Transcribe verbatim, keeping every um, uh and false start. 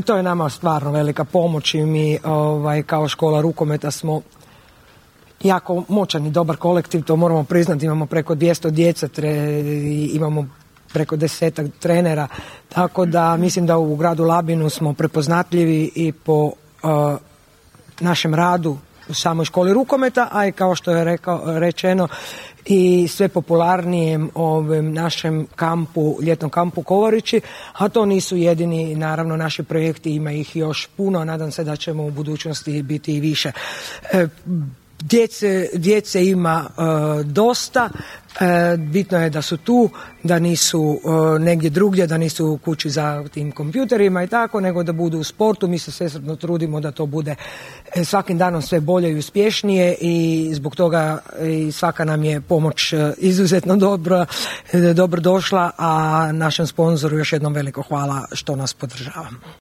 To je nama stvarno velika pomoć i mi ovaj, kao škola rukometa smo jako moćan i dobar kolektiv, to moramo priznati, imamo preko dvjesto djece, tre, imamo preko desetak trenera, tako da mislim da u gradu Labinu smo prepoznatljivi i po uh, našem radu u samoj školi rukometa, a i kao što je rekao, rečeno i sve popularnijem ovim našem kampu, ljetnom kampu Kovarići, a to nisu jedini, naravno naši projekti, ima ih još puno, nadam se da ćemo u budućnosti biti i više. E, Djece, djece ima e, dosta, e, bitno je da su tu, da nisu e, negdje drugdje, da nisu u kući za tim kompjuterima i tako, nego da budu u sportu. Mi se svesrdno trudimo da to bude e, svakim danom sve bolje i uspješnije i zbog toga i svaka nam je pomoć e, izuzetno dobro, e, dobro došla, a našem sponzoru još jednom veliko hvala što nas podržava.